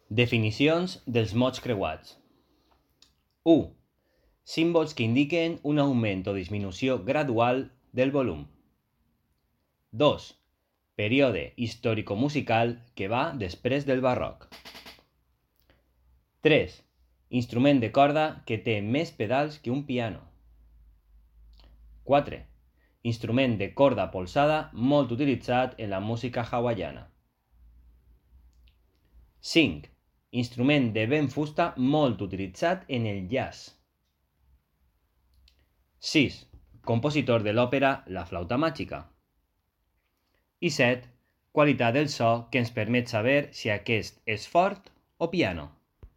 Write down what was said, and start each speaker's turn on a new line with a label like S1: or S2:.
S1: Definicions dels mots creuats. 1. Símbols que indiquen un augment o disminució gradual del volum. 2. Període històrico-musical que va després del barroc. 3. Instrument de corda que té més pedals que un piano. 4. Instrument de corda polsada molt utilitzat en la música hawaiana. 5. Instrument de vent fusta molt utilitzat en el jazz. 6. Compositor de l'òpera La flauta màgica. I 7. Qualitat del so que ens permet saber si aquest és fort o piano.